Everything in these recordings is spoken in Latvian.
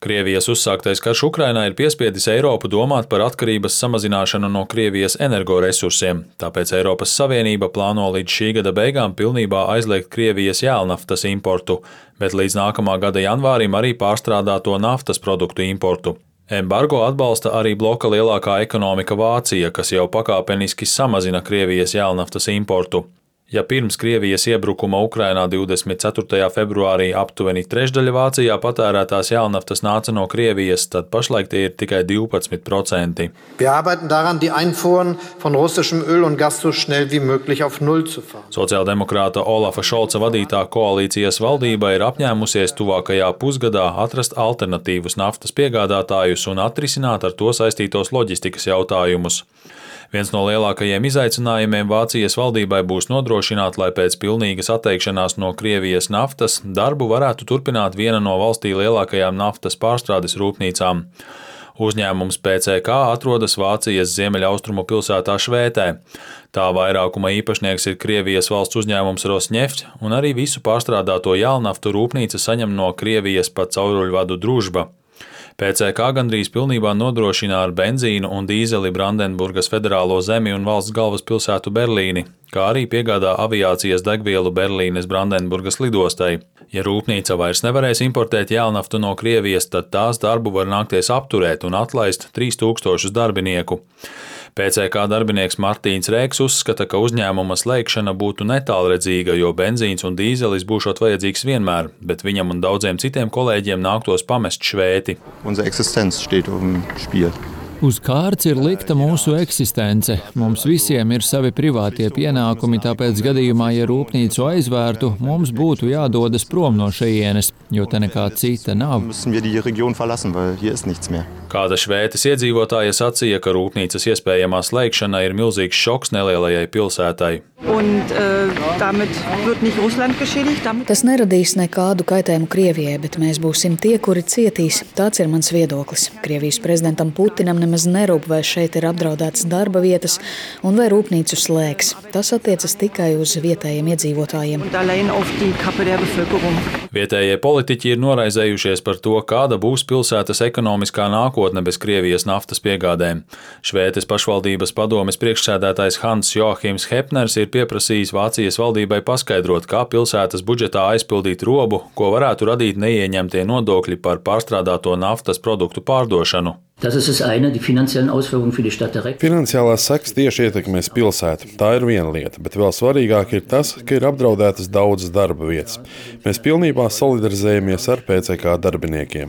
Krievijas uzsāktais karš Ukrainā ir piespiedis Eiropu domāt par atkarības samazināšanu no Krievijas energoresursiem, tāpēc Eiropas Savienība plāno līdz šī gada beigām pilnībā aizliegt Krievijas jēlnaftas importu, bet līdz nākamā gada janvārim arī pārstrādāto naftas produktu importu. Embargo atbalsta arī bloka lielākā ekonomika Vācija, kas jau pakāpeniski samazina Krievijas jēlnaftas importu. Ja pirms Krievijas iebrukuma Ukrainā 24. februārī aptuveni trešdaļa Vācijā patērētās jēlnaftas nāca no Krievijas, tad pašlaik tie ir tikai 12%. Wir arbeiten daran, die Einfuhren von russischem Öl und Gas so schnell wie möglich auf Null zu fahren. Sociāldemokrāta Olafa Šolca vadītā koalīcijas valdība ir apņēmusies tuvākajā pusgadā atrast alternatīvus naftas piegādātājus un atrisināt ar to saistītos loģistikas jautājumus. Viens no lielākajiem izaicinājumiem Vācijas valdībai būs nodrošināt, lai pēc pilnīgas atteikšanās no Krievijas naftas darbu varētu turpināt viena no valstī lielākajām naftas pārstrādes rūpnīcām. Uzņēmums PCK atrodas Vācijas ziemeļaustrumu pilsētā Švētē. Tā vairākuma īpašnieks ir Krievijas valsts uzņēmums Rosneft, un arī visu pārstrādāto jēlnaftu rūpnīca saņem no Krievijas pa cauruļvadu Družba. PCK gandrīz pilnībā nodrošina ar benzīnu un dīzeli Brandenburgas federālo zemi un valsts galvaspilsētu Berlīni, kā arī piegādā aviācijas degvielu Berlīnes Brandenburgas lidostai. Ja rūpnīca vairs nevarēs importēt jēlnaftu no Krievijas, tad tās darbu var nākties apturēt un atlaist 3000 darbinieku. PCK darbinieks Martīns Rēks uzskata, ka uzņēmuma slēgšana būtu netālredzīga, jo benzīns un dīzelis būšot vajadzīgs vienmēr, bet viņam un daudziem citiem kolēģiem nāktos pamest Švēti. Uz kārts ir likta mūsu eksistence. Mums visiem ir savi privātie pienākumi, tāpēc gadījumā, ja rūpnīcu aizvērtu, mums būtu jādodas prom no šejienes, jo te nekā cita nav. Kāda Švētes iedzīvotāja sacīja, ka rūpnīcas iespējamā slēgšana ir milzīgs šoks nelielajai pilsētai. Tas neradīs nekādu kaitējumu Krievijai, bet mēs būsim tie, kuri cietīs. Tāds ir mans viedoklis. Krievijas prezidentam Putinam nemaz nerūp, vai šeit ir apdraudētas darba vietas un vai rūpnīcu slēgs. Tas attiecas tikai uz vietējiem iedzīvotājiem. Vietējie politiķi ir noraizējušies par to, kāda būs pilsētas ekonomiskā nākotne bez Krievijas naftas piegādēm. Švētes pašvaldības padomes priekšsēdētājs Hans Joachims Hepners ir pieprasījis Vācijas valdībai paskaidrot, kā pilsētas budžetā aizpildīt robu, ko varētu radīt neieņemtie nodokļi par pārstrādāto naftas produktu pārdošanu. Finansiālās sekas tieši ietekmēs pilsētu. Tā ir viena lieta, bet vēl svarīgāk ir tas, ka ir apdraudētas daudzas darba vietas. Mēs pilnībā solidarizējamies ar PCK darbiniekiem.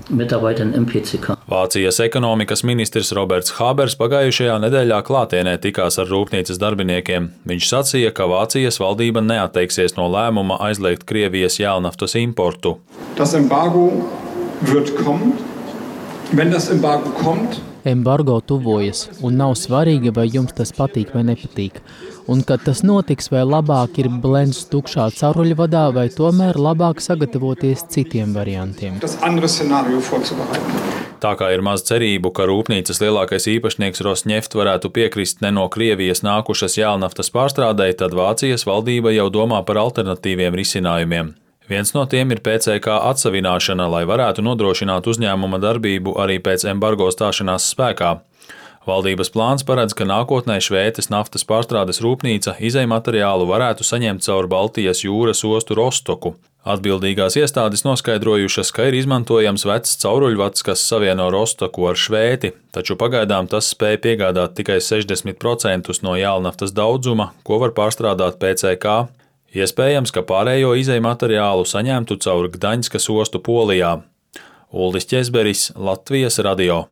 Vācijas ekonomikas ministrs Roberts Habers pagājušajā nedēļā klātienē tikās ar rūpnīcas darbiniekiem. Viņš sacīja, ka Vācijas valdība neatteiksies no lēmuma aizliegt Krievijas jēlnaftas importu. Das Embargo wird kommen. Embargo tuvojas, un nav svarīgi, vai jums tas patīk vai nepatīk. Un, kad tas notiks, vai labāk ir blends tukšā cauruļvadā, vai tomēr labāk sagatavoties citiem variantiem. Tā kā ir maz cerību, ka rūpnīcas lielākais īpašnieks Rosneft varētu piekrist ne no Krievijas nākušas jēlnaftas pārstrādei, tad Vācijas valdība jau domā par alternatīviem risinājumiem. Viens no tiem ir PCK atsavināšana, lai varētu nodrošināt uzņēmuma darbību arī pēc embargo stāšanās spēkā. Valdības plāns paredz, ka nākotnē Švētes naftas pārstrādes rūpnīca izejmateriālu varētu saņemt caur Baltijas jūras ostu Rostoku. Atbildīgās iestādes noskaidrojušas, ka ir izmantojams vecs cauruļvads, kas savieno Rostoku ar Švēti, taču pagaidām tas spēj piegādāt tikai 60% no jēlnaftas daudzuma, ko var pārstrādāt PCK. Iespējams, ka pārējo izejmateriālu saņemtu caur Gdaņskas ostu Polijā. Uldis Ķezberis, Latvijas radio.